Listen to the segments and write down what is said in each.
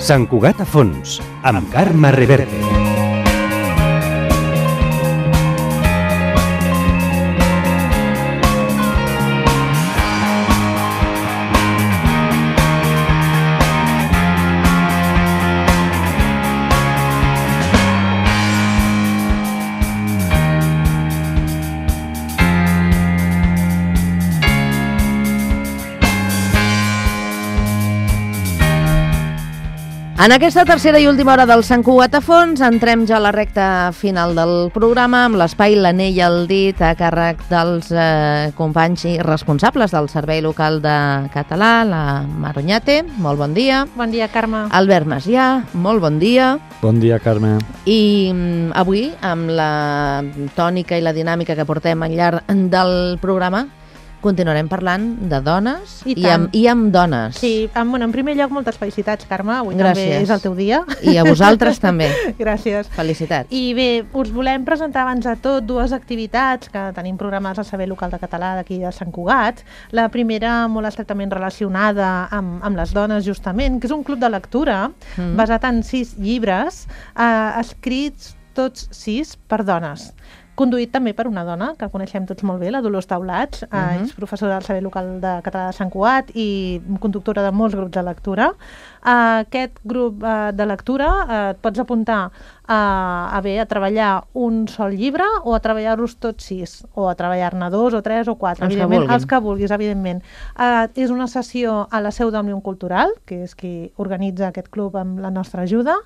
Sant Cugat a fons, amb Carme Reverte. En aquesta tercera i última hora del Sant Cugat a fons entrem ja a la recta final del programa amb l'espai L'Anell al dit a càrrec dels companys i responsables del Servei Local de Català, la Mar Oñate, molt bon dia. Bon dia, Carme. Albert Macià, molt bon dia. Bon dia, Carme. I avui, amb la tònica i la dinàmica que portem al llarg del programa, continuarem parlant de dones i amb dones. Sí, en primer lloc, moltes felicitats, Carme. Avui Gràcies. També és el teu dia. I a vosaltres també. Gràcies. Felicitats. I bé, us volem presentar abans de tot dues activitats que tenim programades al Servei Local de Català d'aquí de Sant Cugat. La primera, molt estretament relacionada amb les dones, justament, que és un club de lectura basat en 6 llibres, escrits tots 6 per dones. Conduït també per una dona, que coneixem tots molt bé, la Dolors Taulats, és professora del Servei Local de Català de Sant Cugat i conductora de molts grups de lectura. Aquest grup de lectura et pots apuntar a treballar un sol llibre o a treballar-los tots 6, o a treballar-ne 2 o 3 o 4, els que vulguis, evidentment. És una sessió a la seu d'Òmnium Cultural, que és qui organitza aquest club amb la nostra ajuda,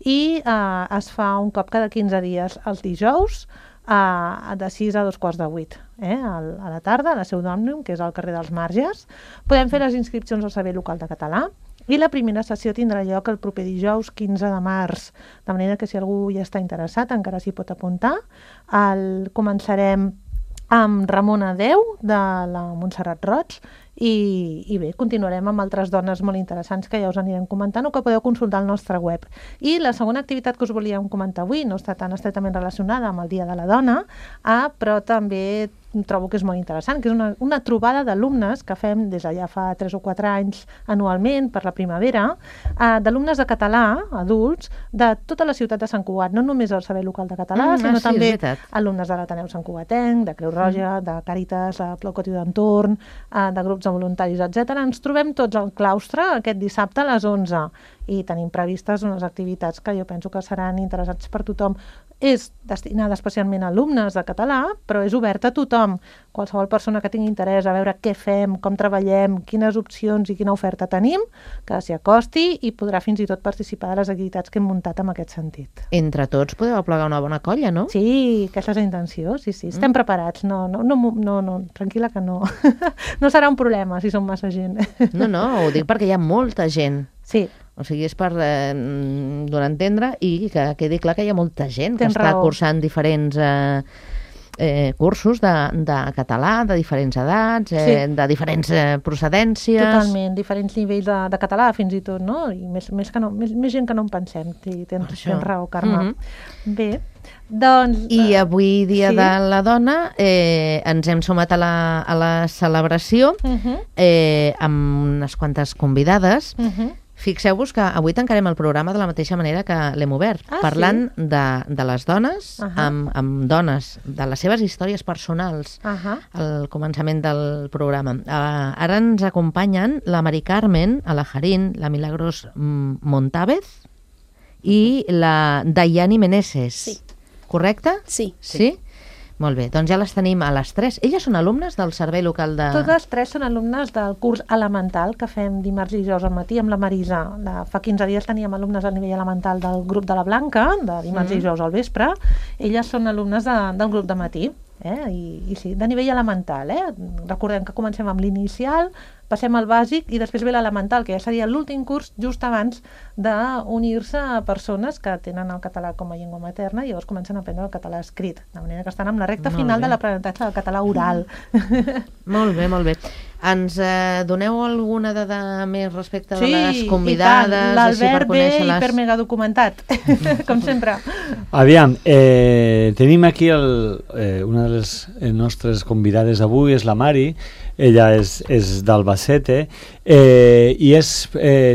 i es fa un cop cada 15 dies els dijous, de 6 a 7:45 a la tarda, a la seu d'Òmnium, que és al carrer dels Marges. Podem fer les inscripcions al Servei Local de Català i la primera sessió tindrà lloc el proper dijous 15 de març, de manera que si algú hi està interessat encara s'hi pot apuntar. Començarem amb Ramona Déu, de la Montserrat Roig, i bé, continuarem amb altres dones molt interessants que ja us anirem comentant o que podeu consultar al nostre web. I la segona activitat que us volíem comentar avui no està tan estretament relacionada amb el Dia de la Dona, però també trobo que és molt interessant, que és una trobada d'alumnes que fem des de ja fa 3 o 4 anys anualment per la primavera, d'alumnes de català, adults, de tota la ciutat de Sant Cugat, no només del Servei Local de Català, sinó també alumnes de l'Ateneu Sant Cugatenc, de Creu Roja, de Càritas, de Pla Cotiu d'Entorn, de grups de voluntaris, etc. Ens trobem tots al claustre aquest dissabte a les 11 i tenim previstes unes activitats que jo penso que seran interessants per tothom. És destinada especialment a alumnes de català, però és oberta a tothom. Qualsevol persona que tingui interès a veure què fem, com treballem, quines opcions i quina oferta tenim, que s'hi acosti i podrà fins i tot participar de les activitats que hem muntat en aquest sentit. Entre tots podeu aplegar una bona colla, no? Sí, aquesta és la intenció, sí. Estem preparats, no, tranquil·la que no. No serà un problema si som massa gent. No, ho dic perquè hi ha molta gent. Sí. O sigui, és per donar a entendre i que quedi clar que hi ha molta gent que està cursant diferents cursos de català, de diferents edats, de diferents procedències. Totalment, diferents nivells de català, fins i tot, no? I més gent que no en pensem. Tens raó, Carme. Bé, doncs... I avui, Dia de la Dona, ens hem sumat a la celebració amb unes quantes convidades. Fixeu-vos que avui tancarem el programa de la mateixa manera que l'hem obert, parlant de les dones, amb dones, de les seves històries personals al començament del programa. Ara ens acompanyen la Mari Carmen Alajarín, la Milagros Montávez i la Dayani Meneses. Sí. Correcte? Sí. Sí? Molt bé, doncs ja les tenim a les 3. Elles són alumnes del Servei Local de... Totes 3 són alumnes del curs elemental que fem dimarts i dijous al matí amb la Marisa. Fa 15 dies teníem alumnes al nivell elemental del grup de la Blanca, de dimarts i dijous al vespre. Elles són alumnes del grup de matí. I sí, de nivell elemental. Recordem que comencem amb l'inicial, passem al bàsic i després ve l'elemental, que ja seria l'últim curs just abans d'unir-se a persones que tenen el català com a llengua materna i llavors comencen a aprendre el català escrit, de manera que estan amb la recta final de l'aprenentatge del català oral. Molt bé, molt bé. Ens doneu alguna dada més respecte de Sí, les i convidades? tant. L'Albert ve hipermega documentat, com sempre. Aviam, tenim aquí una de les nostres convidades d'avui, és la Mari. Ella és d'Albacete i és,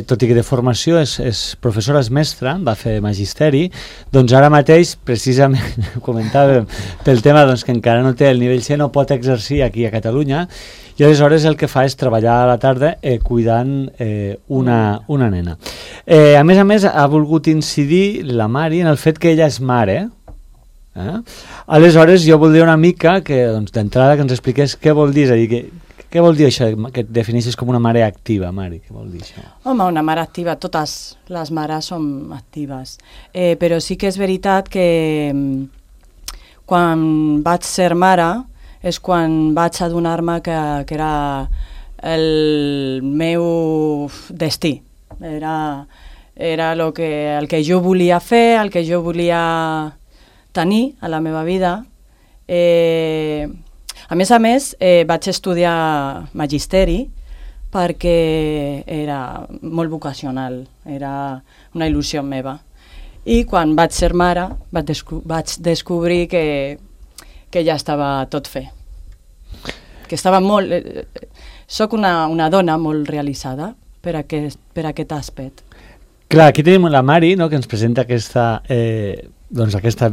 tot i que de formació és professora, és mestra, va fer magisteri, doncs ara mateix, precisament, comentàvem pel tema doncs, que encara no té el nivell C, no pot exercir aquí a Catalunya, i aleshores el que fa és treballar a la tarda cuidant una nena. A més, ha volgut incidir la Mari en el fet que ella és mare. Aleshores, jo voldria una mica que doncs, d'entrada que ens expliqués què vol dir, és a dir, què vol dir això que et defineixes com una mare activa, Mari? Què vol dir això? Home, una mare activa, totes les mares som actives, però sí que és veritat que quan vaig ser mare és quan vaig adonar-me que era el meu destí, era el que jo volia fer, el que jo volia tenir a la meva vida. A més, vaig estudiar magisteri perquè era molt vocacional, era una il·lusió meva. I quan vaig ser mare vaig descobrir que ja estava tot fet. Que estava molt... Soc una dona molt realitzada per aquest aspecte. Clar, aquí tenim la Mari, no?, que ens presenta aquesta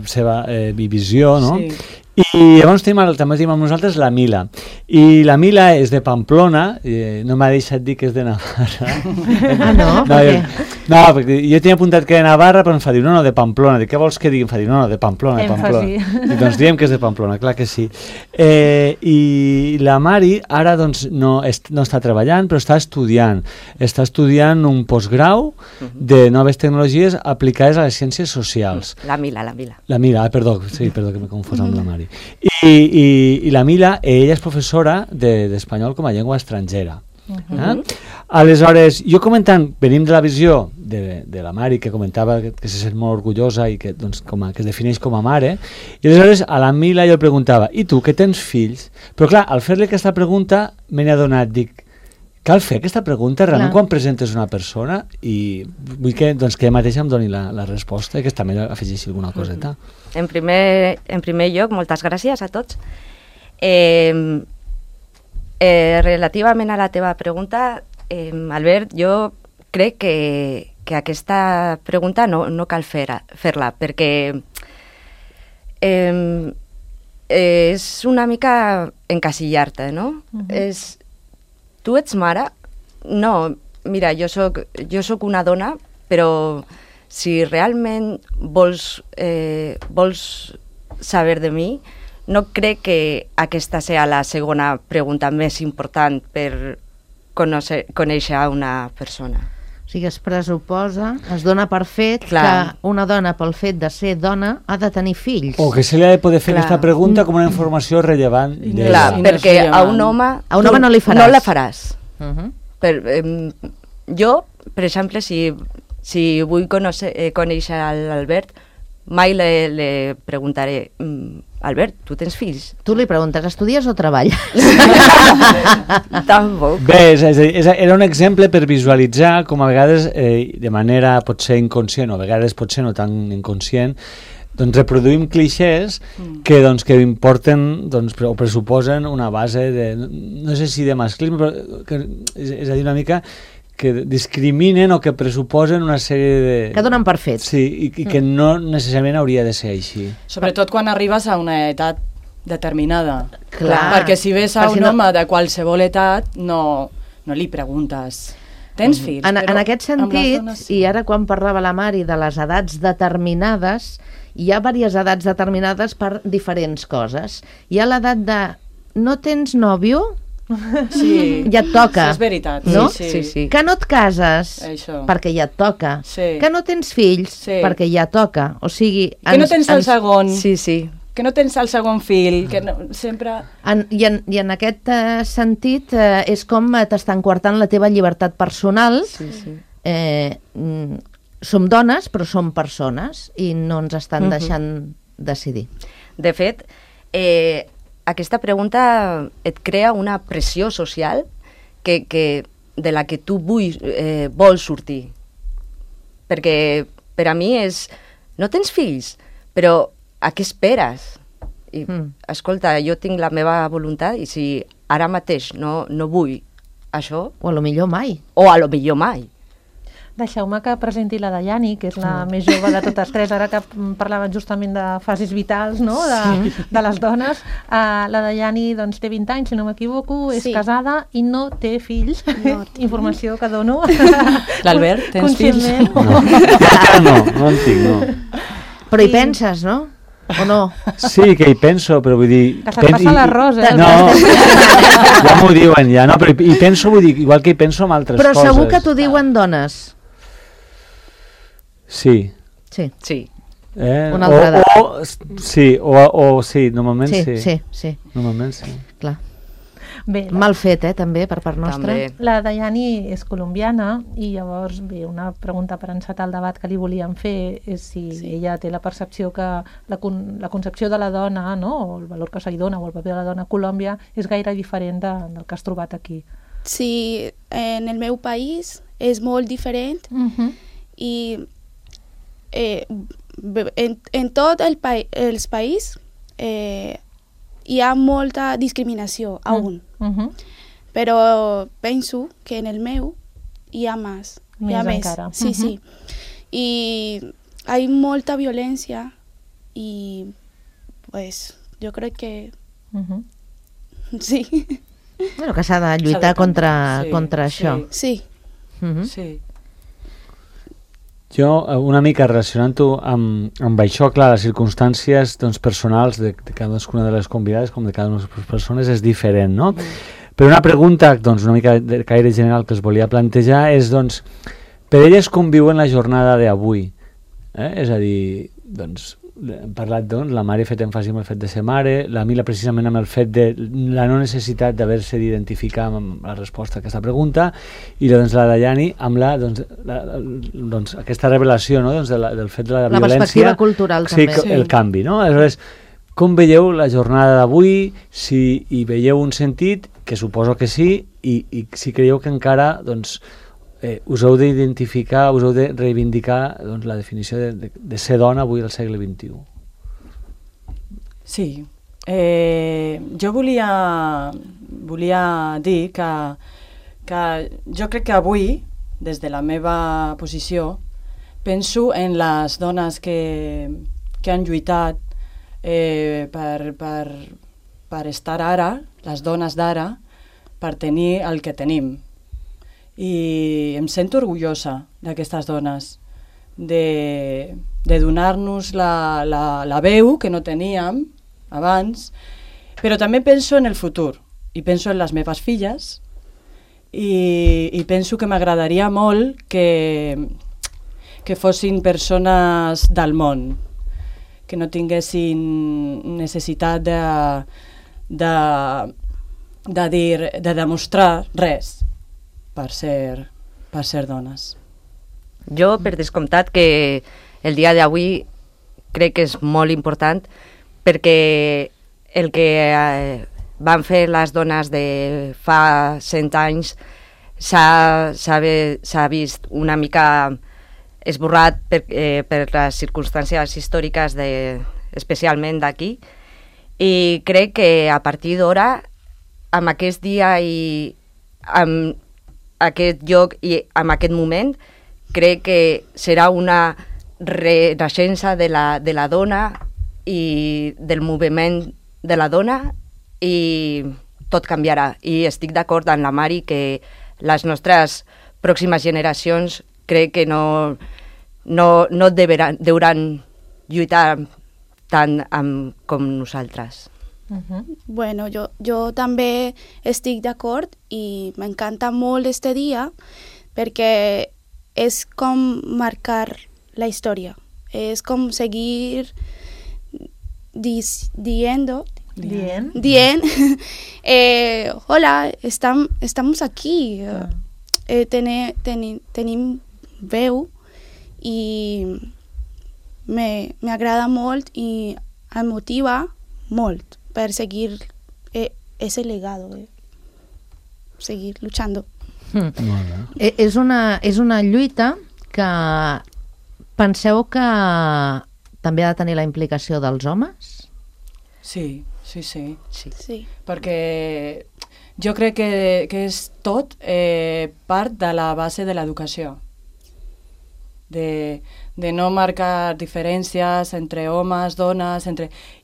seva visió, no? Sí. I llavors també tenim amb nosaltres la Mila. I la Mila és de Pamplona, no m'ha deixat dir que és de Navarra. No? No, perquè jo tenia apuntat que de Navarra, però em fa dir, no, de Pamplona. Dic, què vols que digui? Em fa dir, no, de Pamplona, de Pamplona. I doncs diem que és de Pamplona, clar que sí. I la Mari ara doncs no està treballant, però està estudiant. Està estudiant un postgrau de noves tecnologies aplicades a les ciències socials. La Mila. La Mila, perdó que m'he confós amb la Mari. I la Mila, ella és professora d'espanyol com a llengua estrangera. Aleshores, jo comentant, venim de la visió de la Mari, que comentava que se sent molt orgullosa i que, doncs, que es defineix com a mare, i aleshores a la Mila jo li preguntava, i tu, que tens fills? Però clar, al fer-li aquesta pregunta me n'he adonat, dic, cal fer aquesta pregunta realment quan presentes una persona, i vull que ella mateixa em doni la resposta i que també afegeixi alguna coseta. En primer lloc, moltes gràcies a tots. Relativament a la teva pregunta, Albert, jo crec que aquesta pregunta no cal fer-la, perquè és una mica encasillar-te, no? Tu ets mare? No, mira, jo soc una dona, però si realment vols saber de mi, no crec que aquesta sigui la segona pregunta més important per conèixer una persona. O sigui, es pressuposa, es dona per fet que una dona, pel fet de ser dona, ha de tenir fills. O que se li ha de poder fer aquesta pregunta com una informació rellevant. Clar, perquè a un home no li faràs. No la faràs. Jo, per exemple, si vull conèixer l'Albert, mai li preguntaré, Albert, tu tens fills? Tu li preguntes, estudies o treballes? Tampoc. Bé, era un exemple per visualitzar com a vegades, de manera potser inconscient, o a vegades potser no tan inconscient, doncs reproduïm clixés que importen o pressuposen una base de, no sé si de masclisme, però és a dir, una mica que discriminen o que pressuposen una sèrie de... Que donen per fet. Sí, i que no necessàriament hauria de ser així. Sobretot quan arribes a una edat determinada. Clar. Perquè si ves a un home de qualsevol edat, no li preguntes... Tens fills? En aquest sentit, i ara quan parlava la Mari de les edats determinades, hi ha diverses edats determinades per diferents coses. Hi ha l'edat de no tens nòvio? Sí, ja et toca. és veritat. No? Sí. Que no et cases? Això. Perquè ja et toca. Sí. Que no tens fills? Sí. Perquè ja toca. O sigui... Que no tens el segon. Sí. Que no tens el segon fill, que no, sempre... I en aquest sentit és com t'estan coartant la teva llibertat personal. Sí. Som dones, però som persones i no ens estan deixant decidir. De fet, aquesta pregunta et crea una pressió social de la que tu vols sortir. Perquè per a mi és... No tens fills, però a què esperes? I, escolta, jo tinc la meva voluntat i si ara mateix no vull això... O a lo millor mai. O a lo millor mai. Deixeu-me que presenti la Dayani, que és la més jove de totes tres, ara que parlaven justament de fases vitals, no?, de les dones. La Dayani doncs, té 20 anys, si no m'equivoco, és casada i no té fills. No, informació que dono. L'Albert, tens fills? No en tinc, no. Però hi penses, no? O no? Sí, que hi penso, però vull dir... Que se't passa l'arròs, eh? No, ja m'ho diuen, ja, no, però hi penso, vull dir, igual que hi penso en altres coses. Però segur que t'ho diuen dones. Sí. Sí. Sí. Una altra edat. Sí, normalment sí. Sí. Normalment sí. Clar. Bé, Mal fet, també, per part nostra. També. la Dayani és colombiana i llavors, bé, una pregunta per encetar el debat que li volíem fer és si ella té la percepció que la concepció de la dona, no?, o el valor que se li dona o el paper de la dona a Colòmbia és gaire diferent del que has trobat aquí. Sí, en el meu país és molt diferent i en tot els país hi ha molta discriminació aún. Però penso que en el meu hi ha més. Hi ha més. Encara. Sí, sí. I hi ha molta violència i pues, jo crec que sí. Bueno, que s'ha de lluitar contra això. Sí. Sí. Jo, una mica relacionant-ho amb això, clar, les circumstàncies doncs, personals de cadascuna de les convidades, com de cada una de les persones, és diferent, no? Però una pregunta, doncs, una mica de caire general que es volia plantejar és, doncs, per elles com viuen la jornada d'avui? És a dir, doncs, hem parlat, doncs, la mare ha fet èmfasi amb el fet de ser mare, la Mila precisament amb el fet de la no necessitat d'haver-se d'identificar amb la resposta a aquesta pregunta, i doncs la Dayani amb doncs, aquesta revelació, no?, doncs, del fet de la violència. La perspectiva cultural, sí, també. El canvi, no? Aleshores, com veieu la jornada d'avui, si hi veieu un sentit, que suposo que sí, i si creieu que encara, doncs, us heu d'identificar, us heu de reivindicar doncs, la definició de ser dona avui al segle XXI. Sí. Jo volia dir que jo crec que avui, des de la meva posició, penso en les dones que han lluitat per estar ara, les dones d'ara, per tenir el que tenim. I em sento orgullosa d'aquestes dones, de donar-nos la veu que no teníem abans, però també penso en el futur, i penso en les meves filles, i penso que m'agradaria molt que fossin persones del món, que no tinguessin necessitat de demostrar res per ser dones. Jo, per descomptat, que el dia d'avui crec que és molt important perquè el que van fer les dones de fa 100 anys s'ha vist una mica esborrat per les circumstàncies històriques especialment d'aquí, i crec que a partir d'ara, amb aquest dia i amb aquest lloc i en aquest moment, crec que serà una renaixença de la dona i del moviment de la dona, i tot canviarà. I estic d'acord amb la Mari que les nostres pròximes generacions crec que no deuen lluitar tant com nosaltres. Bueno, jo també estic d'acord i m'encanta molt este dia perquè és com marcar la història, és com seguir dient hola, estamos aquí, tenim veu i m'agrada molt i em motiva molt per seguir ese legado. seguir luchando. Molt bé. És una lluita que penseu que també ha de tenir la implicació dels homes? Sí. Sí. Perquè jo crec que és tot part de la base de l'educació. De no marcar diferències entre homes, dones,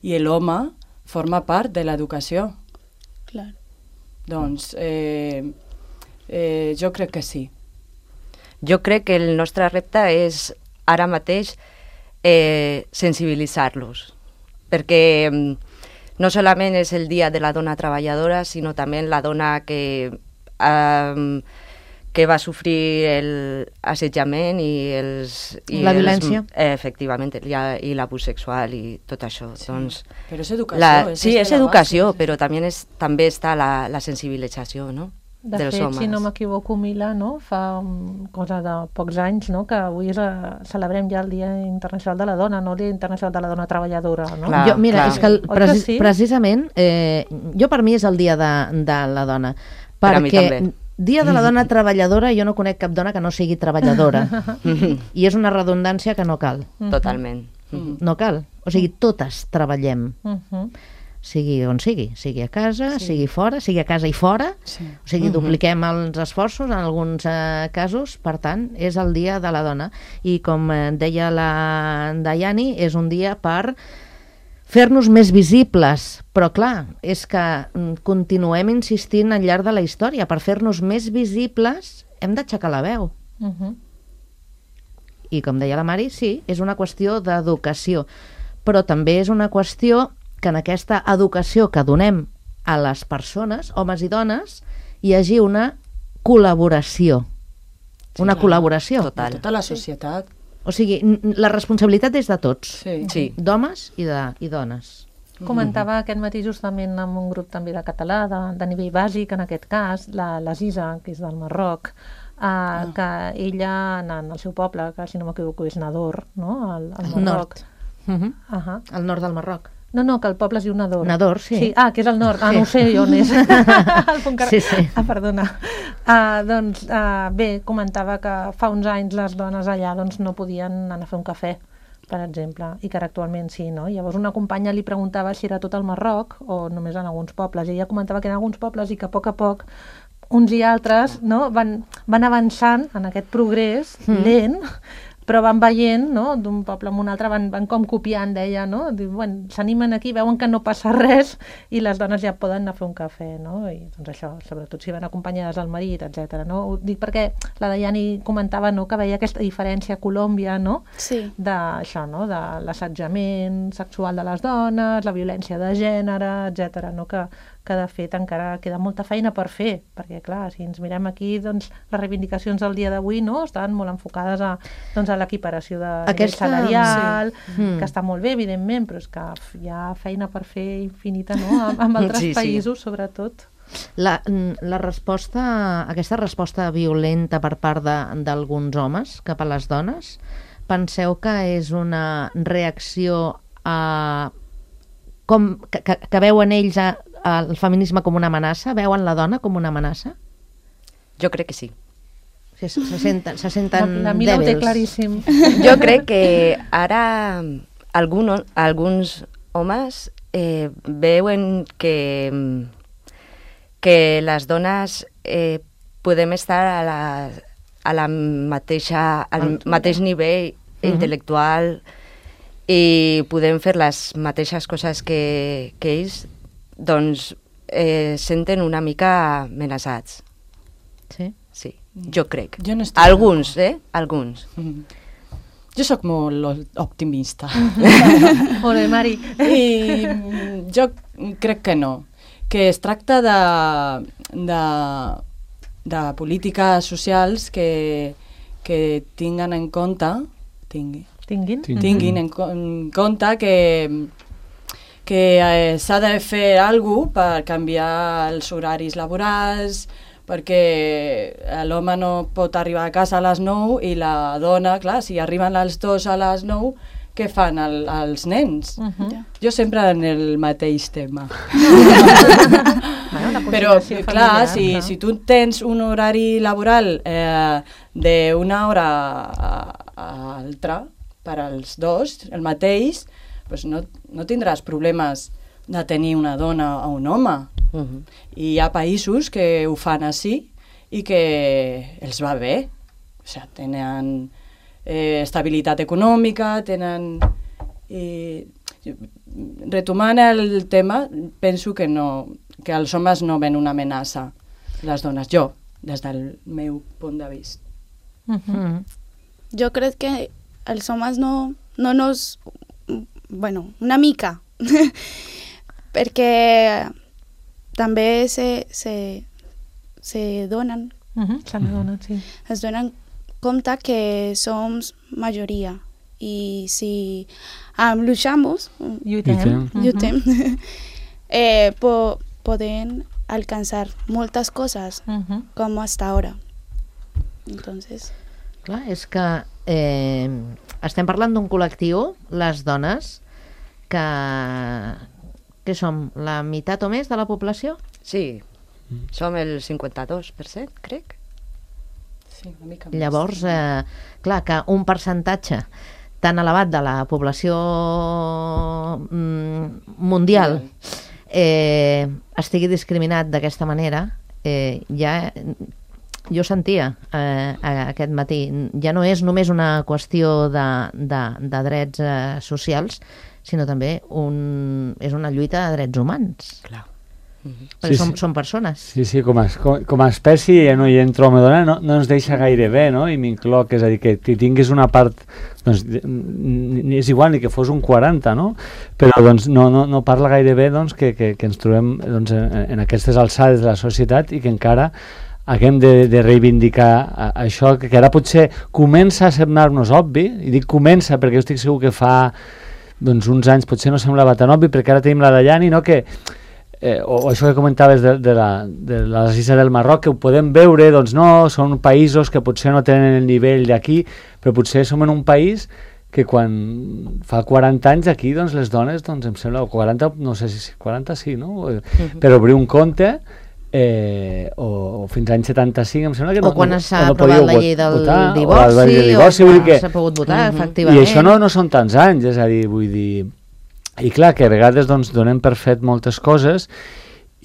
i l'home forma part de l'educació. Claro. Doncs jo crec que sí. Jo crec que el nostre repte és ara mateix sensibilitzar-los, perquè no solament és el dia de la dona treballadora, sinó també la dona que va sofrir l'assetjament i la violència. Efectivament, i l'abús sexual i tot això. Sí. Doncs, però és educació. sí, és educació, però també està la sensibilització, no? De dels fet, homes. si no m'equivoco, Mila, no? Fa cosa de pocs anys, no? Que avui celebrem ja el Dia Internacional de la Dona, no el Dia Internacional de la Dona Treballadora, no? Clar. Mira, és que sí? precisament, jo per mi és el Dia de la Dona, Per a mi perquè també. Dia de la Dona Treballadora, jo no conec cap dona que no sigui treballadora, i és una redundància que no cal. Totalment. No cal. O sigui, totes treballem. Uh-huh. Sigui on sigui a casa, sigui fora, sigui a casa i fora, Sí. o sigui, dupliquem els esforços en alguns casos, per tant, és el Dia de la Dona. I com deia la Daiani, és un dia per fer-nos més visibles, però clar, és que continuem insistint al llarg de la història, per fer-nos més visibles hem d'aixecar la veu. Uh-huh. I com deia la Mari, sí, és una qüestió d'educació, però també és una qüestió que en aquesta educació que donem a les persones, homes i dones, hi hagi una col·laboració. Una col·laboració. Total. Tota la societat. O sigui, la responsabilitat és de tots, Sí. Sí. d'homes i dones. Comentava aquest matí justament amb un grup també de català, de nivell bàsic, en aquest cas, la Ziza, que és del Marroc, que ella, en el seu poble, que si no m'equivoco és Nador, no? al Marroc. Nord. Uh-huh. Al nord del Marroc. No, que el poble es diu Nador. Nador, sí. Que és al nord. Sí. No ho sé on és. Sí. Perdona. Bé, comentava que fa uns anys les dones allà doncs, no podien anar a fer un cafè, per exemple, i que ara actualment sí, no? Llavors una companya li preguntava si era tot el Marroc o només en alguns pobles, i ella comentava que en alguns pobles i que a poc uns i altres no, van avançant en aquest progrés lent, però van veient, no, d'un poble a un altre, van com copiant, deia, no? Bueno, s'animen aquí, veuen que no passa res i les dones ja poden anar a fer un cafè, no? I doncs això, sobretot si van acompanyades del marit, etc. No? Ho dic perquè la Daiani comentava, no, que veia aquesta diferència a Colòmbia, no? Sí. D'això, no? De l'assetjament sexual de les dones, la violència de gènere, etc. No? Que de fet encara queda molta feina per fer, perquè clar, si ens mirem aquí, doncs les reivindicacions del dia d'avui no estan molt enfocades a l'equiparació de nivell salarial, que està molt bé, evidentment, però és que hi ha feina per fer infinita, no? Amb altres països, sobretot. La resposta, aquesta resposta violenta per part d'alguns homes cap a les dones, penseu que és una reacció que veuen ells el feminisme com una amenaça? Veuen la dona com una amenaça? Jo crec que sí. Se senten La Mila ho té dèbils. claríssim. Jo crec que ara alguns homes veuen que les dones podem estar al mateix nivell intel·lectual i podem fer les mateixes coses que ells, doncs senten una mica amenaçats. Sí? Sí, jo crec. Jo no estic Alguns, Alguns. Jo sóc molt optimista. Molt bé, Mari. I jo crec que no. Que es tracta de polítiques socials que tinguen en compte tinguin en compte que s'ha de fer alguna cosa per canviar els horaris laborals, perquè l'home no pot arribar a casa a les 9 i la dona, clar, si arriben els dos a les 9, què fan els nens? Jo sempre en el mateix tema. no? La Però, conciliació clar, familiar, si tu tens un horari laboral d'una hora a altra per als dos, el mateix, doncs no tindràs problemes de tenir una dona o un home. I hi ha països que ho fan així i que els va bé. O sigui, tenen estabilitat econòmica, tenen... Retomant el tema, penso que els homes no ven una amenaça a les dones. Jo, des del meu punt de vista. Jo crec que els homes no nos... Bueno, una mica. Perquè també se donen. Sí. Es donen compte que som majoria i si luchamos, Lluitem. pueden alcanzar muchas cosas como hasta ahora. Entonces... Clar, és que estem parlant d'un col·lectiu, les dones, que som la meitat o més de la població? Sí, som el 52%, crec. Sí, una mica més. Llavors, clar, que un percentatge tan elevat de la població mundial estigui discriminat d'aquesta manera, ja jo sentia aquest matí, ja no és només una qüestió de drets socials, sinó també és una lluita de drets humans. Clar. Perquè són persones. Sí, com a espècie no hi entro home dona, no ens deixa gaire bé, no? I m'incloc, és a dir, que tinguis una part, doncs, és igual ni que fos un 40, no? Però doncs no parla gaire bé doncs, que ens trobem doncs, en aquestes alçades de la societat i que encara haguem de reivindicar això, que ara potser comença a semblar-nos obvi, i dic comença perquè jo estic segur que fa doncs, uns anys potser no semblava tan obvi, perquè ara tenim la Dayani, no? Que o això que comentaves de les Illes del Marroc, que ho podem veure, doncs no, són països que potser no tenen el nivell d'aquí, però potser som en un país que quan fa 40 anys aquí, doncs les dones, doncs em sembla, 40, no sé si 40 sí, no? Per obrir un compte, o fins als anys 75 em sembla que o quan s'ha aprovat la llei del divorci, o s'ha pogut votar, efectivament. I això no són tants anys, és a dir, vull dir... I clar, que a vegades doncs, donem per fet moltes coses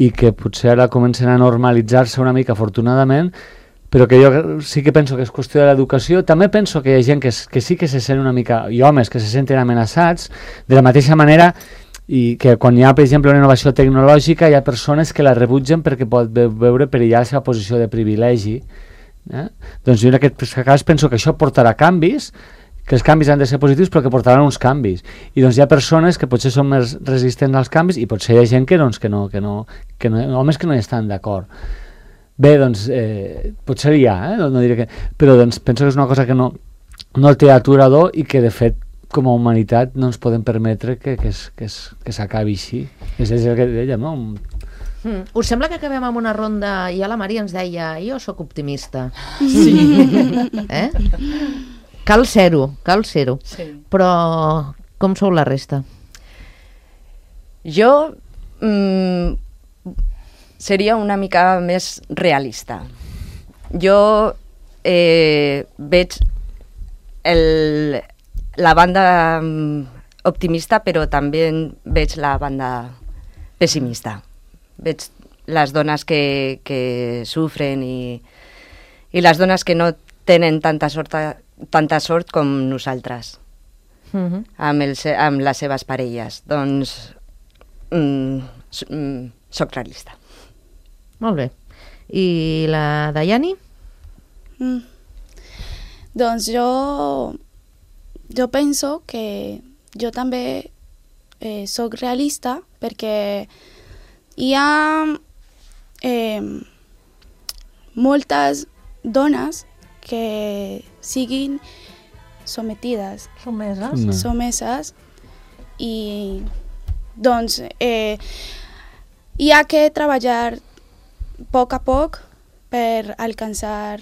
i que potser ara comencen a normalitzar-se una mica, afortunadament, però que jo sí que penso que és qüestió de l'educació. També penso que hi ha gent que sí que se sent una mica, i homes que se senten amenaçats, de la mateixa manera i que quan hi ha, per exemple, una innovació tecnològica hi ha persones que la rebutgen perquè pot veure perillar la seva posició de privilegi. Doncs jo en aquest cas penso que això portarà canvis, que els canvis han de ser positius però que portaran uns canvis, i doncs hi ha persones que potser són més resistents als canvis i potser hi ha gent que homes que no hi estan d'acord. Bé, doncs potser hi ha, no diré que, però doncs penso que és una cosa que no té aturador i que de fet com a humanitat no ens podem permetre que s'acabi així. És el que dèiem, no? Us sembla que acabem amb una ronda? Ja la Maria ens deia, jo sóc optimista. Sí. Cal ser-ho. Sí. Però com sou la resta? Jo seria una mica més realista. Jo veig la banda optimista, però també veig la banda pessimista. Veig les dones que sufren i les dones que no tenen tanta sort com nosaltres amb les seves parelles. Doncs soc realista. Molt bé. I la Dayani? Doncs jo penso que jo també soc realista perquè hi ha moltes dones que siguin sometides, someses, i doncs hi ha que treballar a poc per alcançar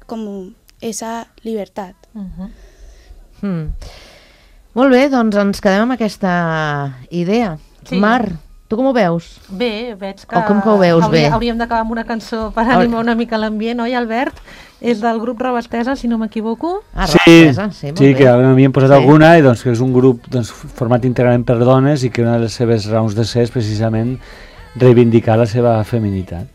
com esa llibertat. Molt bé, doncs ens quedem amb aquesta idea. Sí. Mar, Tu com ho veus? Bé, veig que... O com que ho veus bé? Hauríem d'acabar amb una cançó per animar una mica l'ambient, oi, Albert? És del grup Rabastesa, si no m'equivoco. Ah, Rabastesa, sí, molt bé. Sí, que havíem posat alguna, i doncs que és un grup format íntegrament per dones i que una de les seves raons de ser és precisament reivindicar la seva feminitat.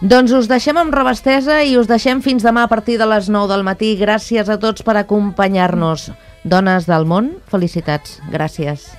Doncs us deixem amb Rabastesa i us deixem fins demà a partir de les 9 del matí. Gràcies a tots per acompanyar-nos. Dones del món, felicitats. Gràcies.